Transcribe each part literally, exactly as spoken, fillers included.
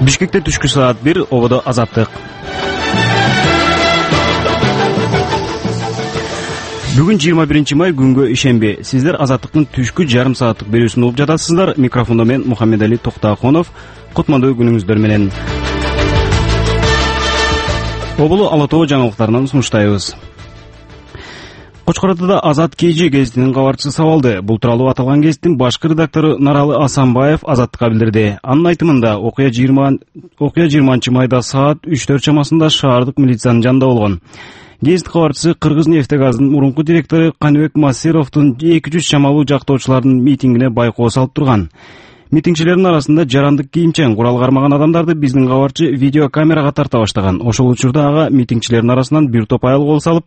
Бишкекте түшкү саат бир, ободо Азаттык. Бүгүн жыйырма биринчи май, күнгө ишемби. Сиздер Азаттыктын түшкү жарым сааттык берүүсүн угуп жатасыздар. Микрофондо мен Мухаммедали Токтаконов. Кутмандуу күнүңүздөр менен. Оболу Ала Тоо жаңылыктарынан сунуштайбыз. Кочкор Атада Азат Кежи гезитинин кабарчысы сабалды. Бул тууралуу аталган гезиттин башкы редактору Наралы Асанбаев Азаттыкка билдирди. Анын айтымында, окуя жыйырманчы майда саат үч төрт чамасында шаардык милициянын жанында болгон. Гезит кабарчысы Кыргыз нефтегазынын мурунку директору Каныбек Масировдун эки жүз чамалуу жактоочулардын митингине байкоо салып турган. Митингчилердин арасында жарандык кийимчен курал кармаган адамдарды биздин кабарчы видеокамерага тарта баштаган. Ошол учурда ага митингчилердин арасынан бир топ айыл кол салып,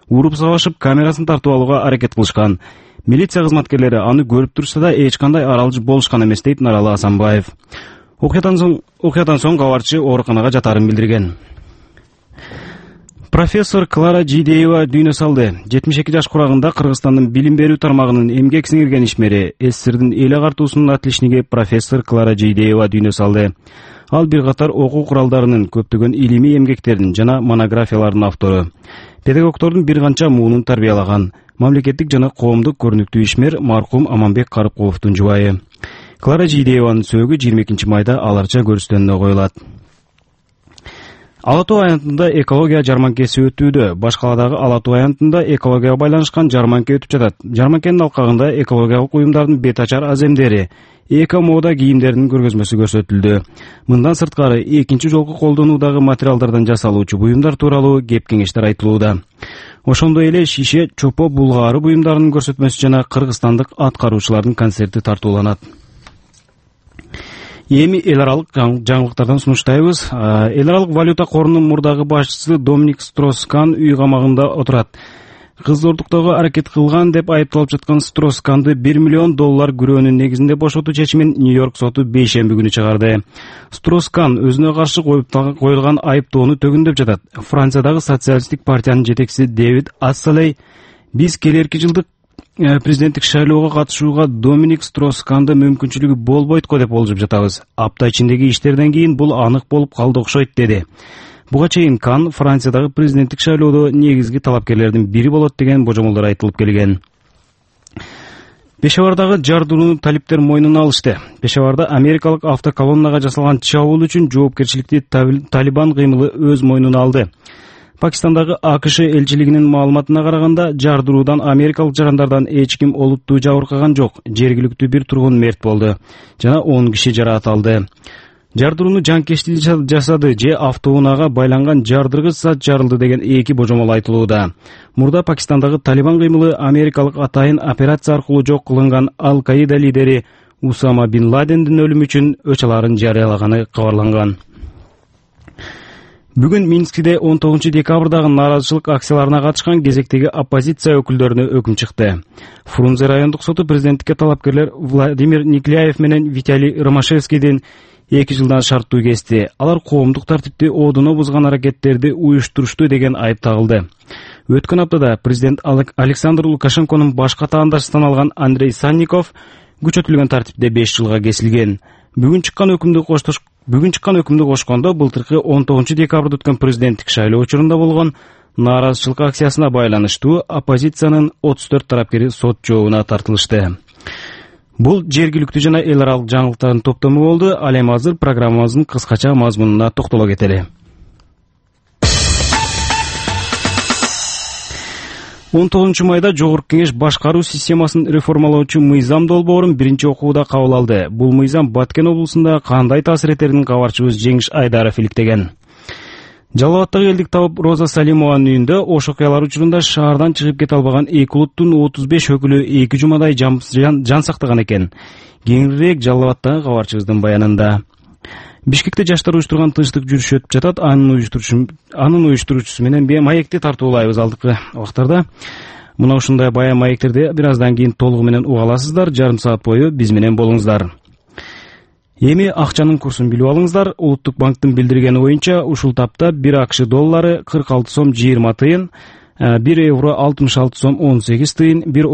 уруп сабашып, камерасын тартып алууга аракет кылышкан. Милиция кызматкерлери аны көрүп турса да эч кандай аралыч болушкан эмес, дейт Наралы Асанбаев. Окуядан соң, окуядан соң кабарчы ооруканага жатарын билдирген. Профессор Клара Жидеева дүйнө салды. жетимиш эки жаш курагында Кыргызстандын билим берүү тармагынын эмгек сиңирген ишмери, СССРдин эл агартуусунун атличниги профессор Клара Жидеева дүйнө салды. Ал бир катар окуу куралдарынын, көптөгөн илимий эмгектердин жана монографиялардын автору. Педагогдордун бир канча муунун тарбиялаган. Мамлекеттик жана коомдук көрүнүктүү ишмер маркум Аманбек Карыпкуловдун жубайы. Клара Жидееванын сөөгү жыйырма экинчи майда аларча көрүстөнүнө коюлат. Ала Тоо аянтында экология жарманкеси өтүүдө. Баш каладагы Ала Тоо аянтында экологияга байланышкан жарманке өтүп жатат. Жарманкенин алкагында экологиялык уюмдардын бет ачар аземдери, эко мода кийимдеринин көргөзмөсү көрсөтүлдү. Мындан сырткары экинчи жолку колдонуудагы материалдардан жасалуучу буюмдар тууралуу кеп-кеңештер айтылууда. Ошондой эле шише, чопо, булгаары буюмдарынын көрсөтмөсү жана кыргызстандык аткаруучулардын концерти тартууланат. Эми эл аралык жаңылыктардан сунуштайбыз. Эл аралык валюта корунун мурдагы башчысы Доминик Строскан үй камагында отурат. Кыздоордуктоого аракет кылган деп айыпталып жаткан Стросканды бир миллион доллар күрөөнүн негизинде бошотуу чечимин Нью-Йорк соту бейшемби күнү чыгарды. Строскан өзүнө каршы коюлган айыптоону төгүндөп жатат. Франциядагы социалисттик партиянын жетекчиси Дэвид Ассалей биз келерки жылдык президенттик шайлоого катышууга Доминик Стросканды мүмкүнчүлүгү болбойт го деп болжоп жатабыз. Апта ичиндеги иштерден кийин бул анык болуп калды окшойт, деди. Буга чейин Кан Франциядагы президенттик шайлоодо негизги талапкерлердин бири болот деген божомолдор айтылып келген. Пешавардагы жардууну талиптер мойнуна алышты. Пешаварда америкалык автоколоннага жасалган чабуул үчүн жоопкерчиликти Талибан кыймылы өз мойнуна алды. Пакистандагы АКШ элчилигинин маалыматына караганда, жардыруудан америкалык жарандардан эч ким олуттуу жабыркаган жок. Жергиликтүү бир тургун мерт болду жана он киши жараат алды. Жардырууну жанкечтик жасады же автоунаага байланган жардыргыч зат жарылды деген эки божомол айтылууда. Мурда Пакистандагы Талибан кыймылы америкалык атайын операция аркылуу жок кылынган Ал-Каида лидери Усама бин Ладендин өлүмү үчүн өч аларын жарыялаганы кабарланган. Бүгүн Минскиде он тогузунчу декабрдагы нааразычылык акцияларына катышкан кезектеги оппозиция өкүлдөрүнө өкүм чыкты. Фрунзе райондук соту президенттикке талапкерлер Владимир Никляев менен Виталий Ромашевскийдин эки жылдан шарттуу кести. Алар коомдук тартипти оодуно бузган аракеттерди уюштурушту деген айып тагылды. Өткөн аптада президент Александр Лукашенконун башка таандашынан алган Андрей Санников күчөтүлгөн тартипте беш жылга кесилген. Бүгүн чыккан өкүмдү коштош Бүгүн чыккан өкүмдү кошкондо былтыркы он тогузунчу декабрда өткөн президенттик шайлоо учурунда болгон нааразычылык акциясына байланыштуу оппозициянын отуз төрт тарапкери сот жообуна тартылышты. Бул жергиликтүү жана эл аралык жаңылыктардын топтому болду. Ал эми азыр программабыздын кыскача мазмунуна токтоло кетели. он тогузунчу майда Жогорку Кеңеш башкаруу системасын реформалоочу мыйзам долбоорун биринчи окууда кабыл алды. Бул мыйзам Баткен облусунда кандай таасир этерин кабарчыбыз Жеңиш Айдаров иликтеген. Жалал Абадтагы элдик табып Роза Салимованын үйүндө ош окуялар учурунда шаардан чыгып кете албаган эки улуттун отуз беш өкүлү эки жумадай жан, жан сактаган экен. Кеңирээк Жалал Абадтагы кабарчыбыздын баянында. Бишкекте жаштар уюштурган тынчтык жүрүшү өтүп жатат. Анын уюштуруучусу анын уюштуруучусу менен маекти тартуулайбыз алдыкы убактарда. Мына ушундай баян маектерди бир аздан кийин толугу менен уга аласыздар. Жарым саат бою биз менен болуңуздар. Эми акчанын курсун билип алыңыздар. Улуттук банктын билдиргени боюнча ушул тапта бир АКШ доллары кырк алты сом жыйырма тыйын, бир евро алтымыш алты сом он сегиз тыйын, бир